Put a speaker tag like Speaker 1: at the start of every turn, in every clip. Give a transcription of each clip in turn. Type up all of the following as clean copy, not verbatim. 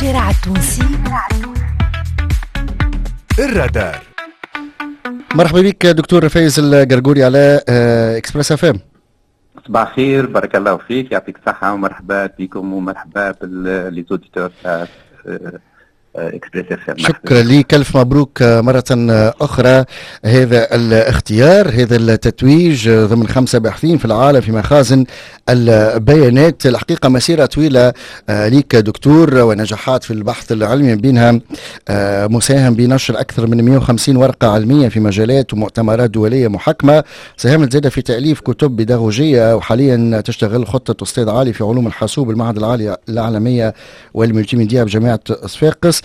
Speaker 1: الشارع التونسي،
Speaker 2: الرادار.
Speaker 3: مرحبا بك دكتور فايز القرقوري على اكسبريس اف ام.
Speaker 4: صباح الخير، بارك الله فيك، يعطيك الصحة ومرحبا بكم ومرحبا ب les auditeurs تاع اكسبريس اف ام.
Speaker 3: شكرا لك، الف مبروك مرة أخرى هذا الاختيار، هذا التتويج ضمن 5 باحثين في العالم في مخازن البيانات. الحقيقة مسيرة طويلة لك دكتور ونجاحات في البحث العلمي، بينها مساهم بنشر أكثر من 150 ورقة علمية في مجالات ومؤتمرات دولية محكمة، ساهمت زادة في تأليف كتب بيداغوجية، وحاليا تشتغل خطة أستاذ عالي في علوم الحاسوب المعهد العالي الإعلامية والملتيميديا بجامعة صفاقس.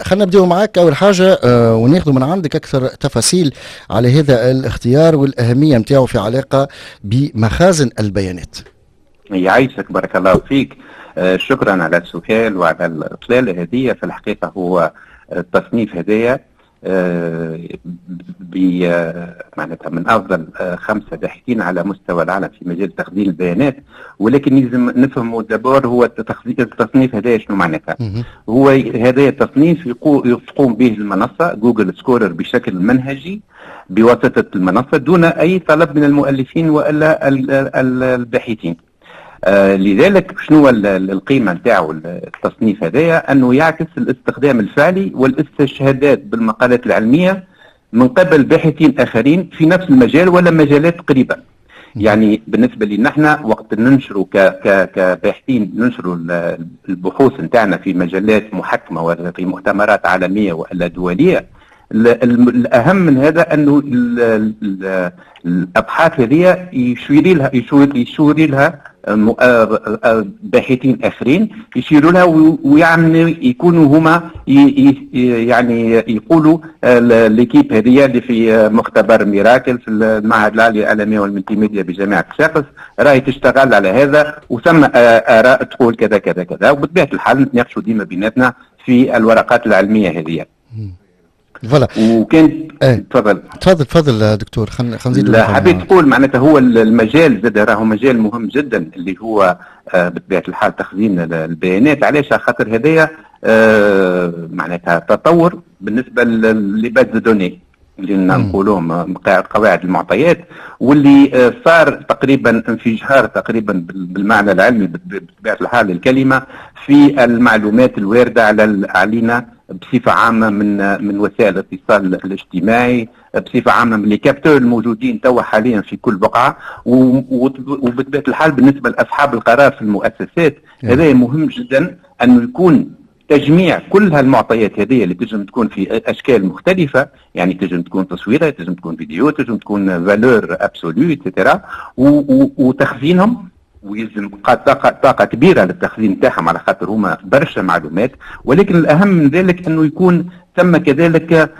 Speaker 3: خلينا نبداو معاك اول حاجة وناخذ من عندك اكثر تفاصيل على هذا الاختيار والاهميه نتاعو في علاقة بمخازن البيانات.
Speaker 4: يعيشك، بارك الله فيك. شكرا على السؤال وعلى الاطلاله هذه. في الحقيقة هو التصنيف هذايا معناتها من افضل 5 باحثين على مستوى العالم في مجال تخزين البيانات، ولكن لازم نفهموا d'abord هو التصنيف هذايا شنو معناتها. هو هذا التصنيف تقوم به المنصة جوجل سكولر بشكل منهجي بواسطة المنصة دون اي طلب من المؤلفين والا الباحثين. لذلك شنو القيمة نتاعو التصنيف هذايا؟ انه يعكس الاستخدام الفعلي والاستشهادات بالمقالات العلمية من قبل باحثين اخرين في نفس المجال ولا مجالات قريبه. يعني بالنسبة لنا احنا وقت ننشروا كباحثين ننشروا البحوث نتاعنا في مجلات محكمة ولا في مؤتمرات عالمية والا دوليه، الاهم من هذا انه الابحاث هذه يشير لها باحثين اخرين، يشيروا لها ويعني يكونوا هما يعني يقولوا l'équipe هذه اللي في مختبر ميراكل في المعهد العالي للاعلاميه والملتيميديا بجامعة صفاقس راهي تشتغل على هذا، وثم اراء تقول كذا كذا كذا، وبطبيعة الحال نتناقشوا ديما بيناتنا في الورقات العلمية هذه.
Speaker 3: voilà.
Speaker 4: وكان
Speaker 3: ايه.
Speaker 4: تفضل.
Speaker 3: تفضل تفضل دكتور، خلينا نزيد.
Speaker 4: لا، حبيت تقول معناتها هو المجال زاد راهو مجال مهم جدا اللي هو بطبيعة الحال تخزين البيانات. علاش؟ خاطر هذايا معناتها تطور بالنسبة les bases de données اللي نقولوهم قواعد المعطيات، واللي صار تقريبا انفجار تقريبا بالمعنى العلمي بطبيعة الحال الكلمة في المعلومات الواردة علينا بصفة عامة من وسائل الاتصال الاجتماعي، بصفة عامة من les capteurs الموجودين توا حاليا في كل بقعه، وبطبيعة الحال بالنسبة لاصحاب القرار في المؤسسات هذا مهم جدا انه يكون تجميع كل هالمعطيات هذه اللي تنجم تكون في اشكال مختلفه، يعني تنجم تكون تصويره، تنجم تكون فيديو، تنجم تكون valeur absolue et cetera، وتخزينهم، ويلزم طاقة كبيرة للتخزين تاعهم على خاطر هما برشا معلومات. ولكن الأهم من ذلك أنه يكون ثم كذلك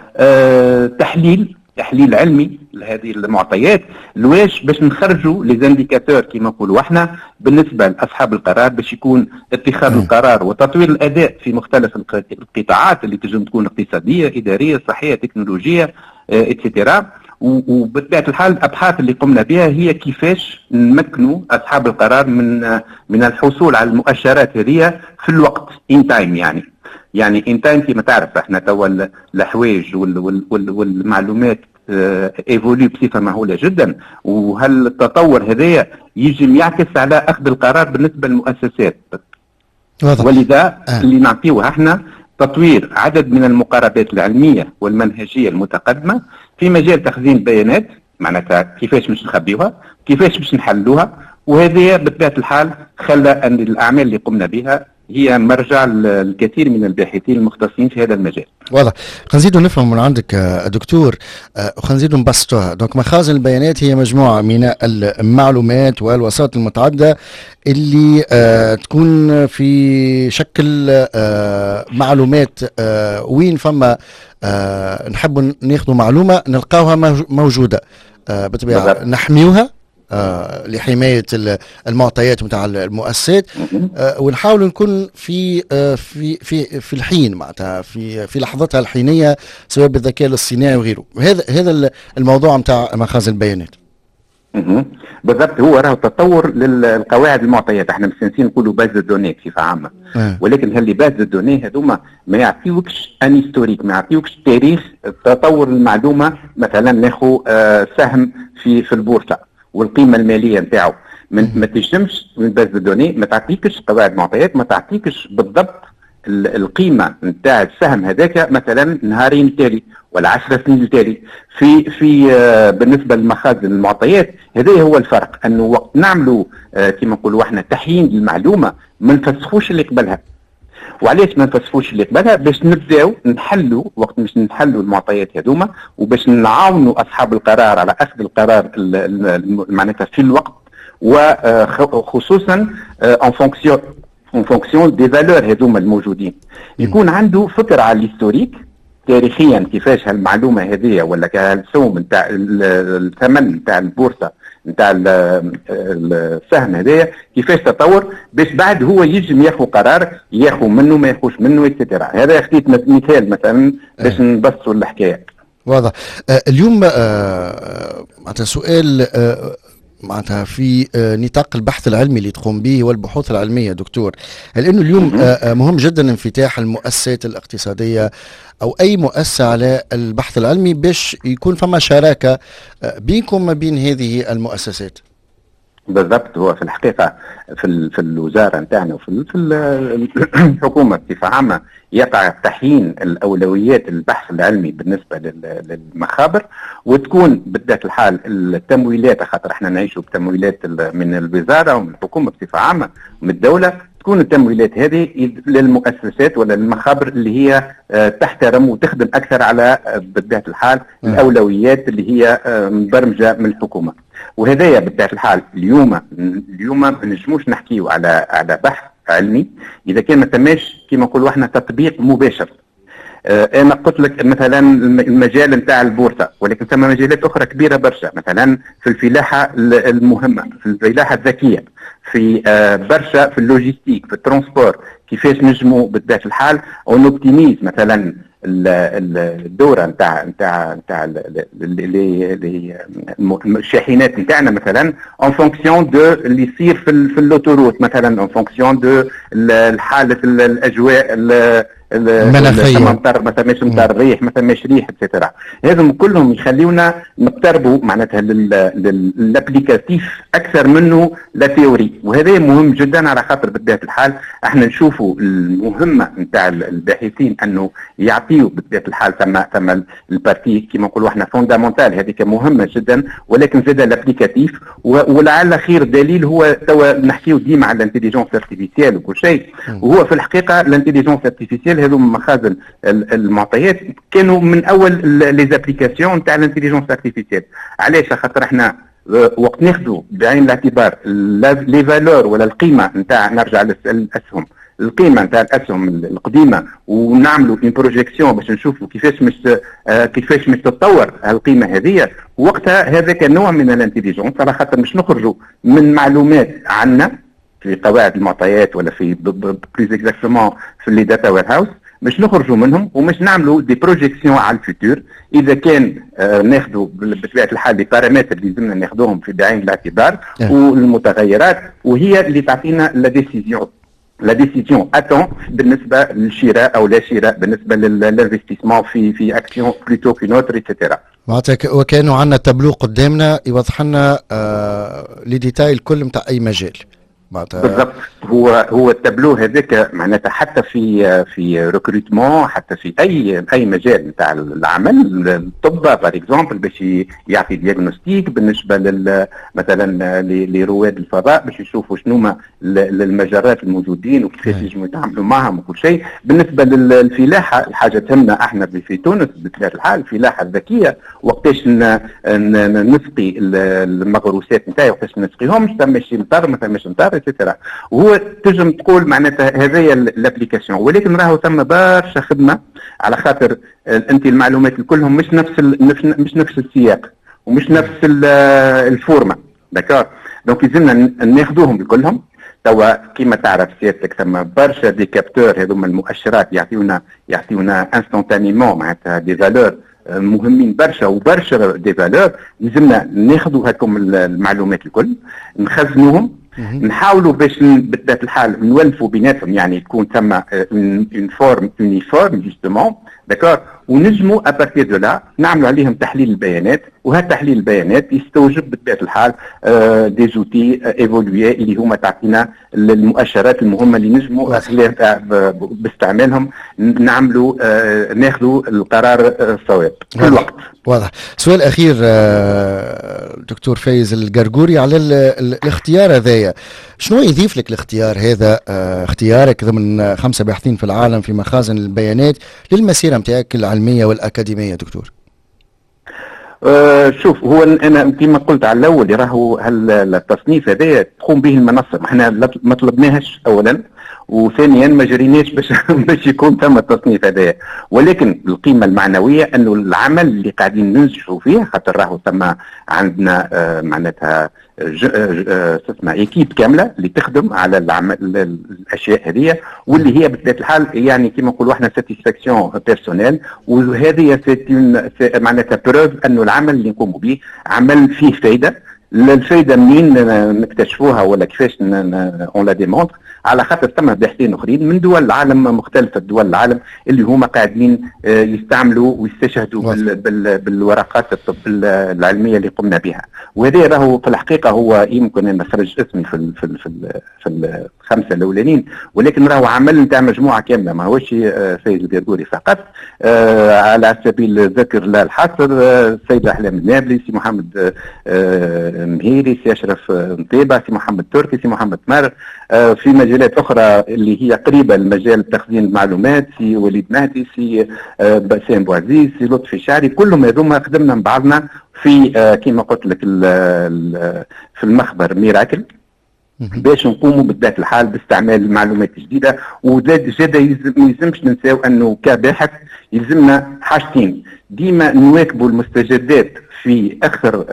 Speaker 4: تحليل علمي لهذه المعطيات. لواش؟ باش نخرجوا les indicateurs كما نقولوا احنا بالنسبة لاصحاب القرار، باش يكون اتخاذ القرار وتطوير الاداء في مختلف القطاعات اللي تنجم تكون اقتصاديه، اداريه، صحيه، تكنولوجية، et cetera. وبطبيعة الحال الابحاث اللي قمنا بها هي كيفاش نمكنوا اصحاب القرار من الحصول على المؤشرات هذه في الوقت in time، يعني in time. كما تعرف احنا توا الحوايج والمعلومات évoluent بصفة مهولة جدا، وهل التطور هذايا يجم يعكس على اخذ القرار بالنسبة للمؤسسات. ولذا اللي نعطيوه احنا تطوير عدد من المقاربات العلمية والمنهجيه المتقدمة في مجال تخزين البيانات، معناتها كيفاش باش نخبيوها، كيفاش باش نحلوها. وهذه بطبيعة الحال خلى ان الاعمال اللي قمنا بها هي مرجع الكثير من الباحثين المختصين في هذا المجال.
Speaker 3: واضح. خلينا نزيدوا نفهم من عندك دكتور، وخلينا نزيدوا نبسطوها. donc مخازن البيانات هي مجموعة من المعلومات والوسائط المتعددة اللي تكون في شكل معلومات، وين فما نحب ناخذ معلومة نلقاوها موجودة. بالطبيعة نحميوها لحماية المعطيات نتاع المؤسسات، ونحاول نكون في الحين، معناتها في لحظتها الحينيه، سواء بالذكاء الاصطناعي وغيره. هذا الموضوع نتاع مخازن البيانات.
Speaker 4: بالضبط، هو راهو تطور للقواعد المعطيات. احنا مستانسين نقولوا base de données بصفة عامه، ولكن هال les bases de données هذوما ما يعطيوكش un historique، ما يعطيوكش تاريخ تطور المعلومه. مثلا ناخذ سهم في البورصة والقيمة المالية نتاعو، ما تنجمش من base de données ما تعطيكش قواعد معطيات، ما تعطيكش بالضبط القيمة نتاع السهم هذاك مثلا نهارين التالي ولا 10 سنين التالي. في في آه، بالنسبة للمخازن المعطيات، هذا هو الفرق، انه وقت نعملوا كما نقولوا احنا تحيين للمعلومة ما نفسخوش اللي قبلها. وعلاش ما نفسخوش اللي قبلها؟ باش نبداو نحلوا، وقت باش نحلوا المعطيات هذوما وباش نعاونوا اصحاب القرار على اخذ القرار معناتها في الوقت، وخصوصا en fonction des valeurs هذوما الموجودين، يكون عنده فكرة على l'historique تاريخيا كيفاش هالمعلومه هذه ولا السوم نتاع الثمن نتاع البورصة نتاع السهم هذايا كيفاش تطور، باش بعد هو يجم ياخذ قرار، ياخذ منه ما ياخذش منه et cetera. هذا خديت مثال مثلا باش نبسطوا الحكايه.
Speaker 3: واضح. اليوم معناتها سؤال معناتها في نطاق البحث العلمي اللي تقوم به والبحوث العلميه، دكتور، هل انه اليوم مهم جدا انفتاح المؤسسات الاقتصادية او اي مؤسسة على البحث العلمي باش يكون فما شراكة بينكم ما بين هذه المؤسسات؟
Speaker 4: بالضبط، هو في الحقيقة في الوزارة نتاعنا وفي الحكومة بصفة عامة يقع تحيين الاولويات البحث العلمي بالنسبة للمخابر، وتكون بطبيعة الحال التمويلات، خاطر احنا نعيشوا بتمويلات من الوزارة ومن الحكومة بصفة عامة ومن الدوله، تكون التمويلات هذه للمؤسسات ولا للمخابر اللي هي تحترم وتخدم اكثر على بطبيعة الحال الاولويات اللي هي مبرمجه من الحكومه. وهذايا بطبيعة الحال اليوم ما نجموش نحكيو على بحث علمي اذا كان ما ثماش كما نقولوا احنا تطبيق مباشر. انا قلت لك مثلا المجال نتاع البورصه، ولكن ثم مجالات اخرى كبيرة برشا، مثلا في الفلاحة المهمه، في الفلاحة الذكيه، في برشا في ال logistique، في ال transport، كيفاش نجموا بطبيعة الحال on optimise مثلا الدورة نتاع الشاحنات نتاعنا مثلا en fonction de اللي يصير في l'autoroute مثلا، en fonction de حاله الاجواء
Speaker 3: المناخيه،
Speaker 4: ثم مطر ما ثماش مطر، ريح ما ثماش ريح، et cetera. هذم كلهم يخليونا نقتربوا معناتها لل applicatif اكثر منه la théorie، وهذا مهم جدا على خاطر بطبيعة الحال احنا نشوفوا المهمة نتاع الباحثين انه يعطيوا بطبيعة الحال ثم ال partie كما نقولوا احنا fondamentale، هذيك مهمة جدا، ولكن زاد l'applicatif. ولعل خير دليل هو توا نحكيو ديما على l'intelligence artificielle وكل شيء، وهو في الحقيقة l'intelligence artificielle، هذو مخازن المعطيات كانوا من اول les applications نتاع l'intelligence artificielle. علاش؟ خاطر احنا وقت ناخذوا بعين الاعتبار les valeurs ولا القيمة نتاع، نرجع للاسهم، القيمة نتاع الاسهم القديمه، ونعملوا une projection باش نشوفوا كيفاش مش تتطور القيمة هذه وقتها، هذاك نوع من l'intelligence، على خاطر مش نخرجوا من معلومات عنا في قواعد المعطيات ولا في plus exactement في les data warehouse، باش نخرجوا منهم ومش نعملوا des projections على ال futur، اذا كان ناخذوا بطبيعة الحال les paramètres اللي لازمنا ناخذوهم في بعين الاعتبار والمتغيرات، وهي اللي تعطينا la décision à temps بالنسبة للشراء او لا شراء، بالنسبة لل investissement في action plutôt qu'une autre et cetera.
Speaker 3: معناتها وكانوا عندنا تابلو قدامنا يوضح لنا les détails الكل نتاع اي مجال.
Speaker 4: معناتها بالضبط، هو التابلو هذاك معناتها حتى في recrutement، حتى في اي مجال نتاع العمل، الطب par exemple باش يعطي diagnostic، بالنسبة لل مثلا لرواد الفضاء باش يشوفوا شنو ما المجرات الموجودين وكيفاش ينجموا يتعاملوا معهم وكل شيء، بالنسبة للفلاحه، الحاجة تهمنا احنا في تونس بطبيعة الحال، الفلاحة الذكيه، وقتاش نسقي المغروسات نتاعي، وقتاش ما نسقيهمش، ثماش مطر ما ثماش مطر et cetera. وهو تنجم تقول معناتها هذايا l'application، ولكن راهو ثم برشا خدمه، على خاطر انت المعلومات كلهم مش نفس السياق ومش نفس ال format، d'accord؟ donc يلزمنا ناخذوهم كلهم. توا كيما تعرف سيادتك ثم برشا des capteurs، هذوما المؤشرات يعطيونا instantanément معناتها des valeurs. مهمين برشا وبرشا des valeurs. لازمنا ناخذوا هاكم المعلومات الكل، نخزنوهم، نحاولوا باش بطبيعة الحال نولفوا بيناتهم، يعني تكون ثم une forme uniforme justement، d'accord، ونجموا à partir de là نعملوا عليهم تحليل البيانات. وهذا تحليل البيانات يستوجب بطبيعة الحال des outils évolués اللي هما تعطينا المؤشرات المهمة اللي نجموا باستعمالهم نعملوا ناخذوا القرار الصواب في الوقت.
Speaker 3: واضح. سؤال اخير دكتور فايز القرقوري على الاختيار هذايا، شنو يضيف لك الاختيار هذا، اختيارك ضمن 5 باحثين في العالم في مخازن البيانات للمسيره نتاعك العلمية والاكاديميه دكتور؟
Speaker 4: شوف، هو انا كما قلت على الاول راهو التصنيف هذا تقوم به المنصه، احنا ما طلبناهش اولا، وثانيا ما جريناش باش يكون ثم التصنيف هذايا، ولكن القيمة المعنوية انه العمل اللي قاعدين ننجحوا فيه، خاطر راهو ثم عندنا معناتها اسمها équipe كاملة اللي تخدم على العمل الاشياء هذه، واللي هي بطبيعة الحال يعني كما نقولوا احنا satisfaction personnelle، وهذه c'est معناتها preuve انه العمل اللي نقوموا به عمل فيه فايده. الفايدة منين نكتشفوها ولا كيفاش on la démontre؟ على خاطر ثم باحثين اخرين من دول العالم، مختلفة دول العالم، اللي هما قاعدين يستعملوا ويستشهدوا بالورقات الطب العلمية اللي قمنا بها. وهذا راهو في الحقيقة هو يمكن ان خرج اسمي في الخمسة الاولانيين، ولكن راهو عمل نتاع مجموعة كامله، ما هوش فايز القرقوري فقط. على سبيل الذكر لا الحصر، السيد احلام النابلي، سي محمد مهيري، سي اشرف مطيبه، سي محمد تركي، سي محمد مر. في مجالات اخرى اللي هي قريبه لمجال تخزين المعلومات، سي وليد مهدي، سي بسام بوعزيز، سي لطفي شعري، كلهم هذوما خدمنا مع بعضنا في كما قلت لك في المخبر ميراكل باش نقوموا بطبيعة الحال باستعمال معلومات جديده. وزاد زاد ما يلزمش ننساو انه كباحث يلزمنا حاجتين: ديما نواكبوا المستجدات في اخر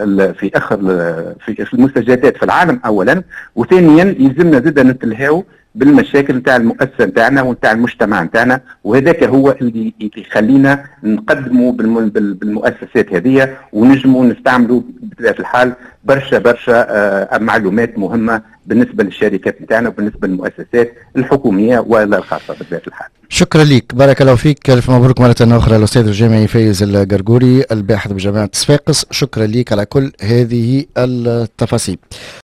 Speaker 4: في المستجدات في العالم اولا، وثانيا يلزمنا زاد نتلهاو بالمشاكل نتاع المؤسسة نتاعنا ونتاع المجتمع نتاعنا، وهذاك هو اللي يخلينا نقدموا بالمؤسسات هذه ونجموا نستعملوا بطبيعة الحال برشا برشا معلومات مهمة بالنسبة للشركات نتاعنا وبالنسبة للمؤسسات الحكومية ولا الخاصة بطبيعة الحال.
Speaker 3: شكرا لك، بارك الله فيك، الف مبروك مرة أخرى الأستاذ الجامعي فايز القرقوري الباحث بجامعة صفاقس، شكرا لك على كل هذه التفاصيل.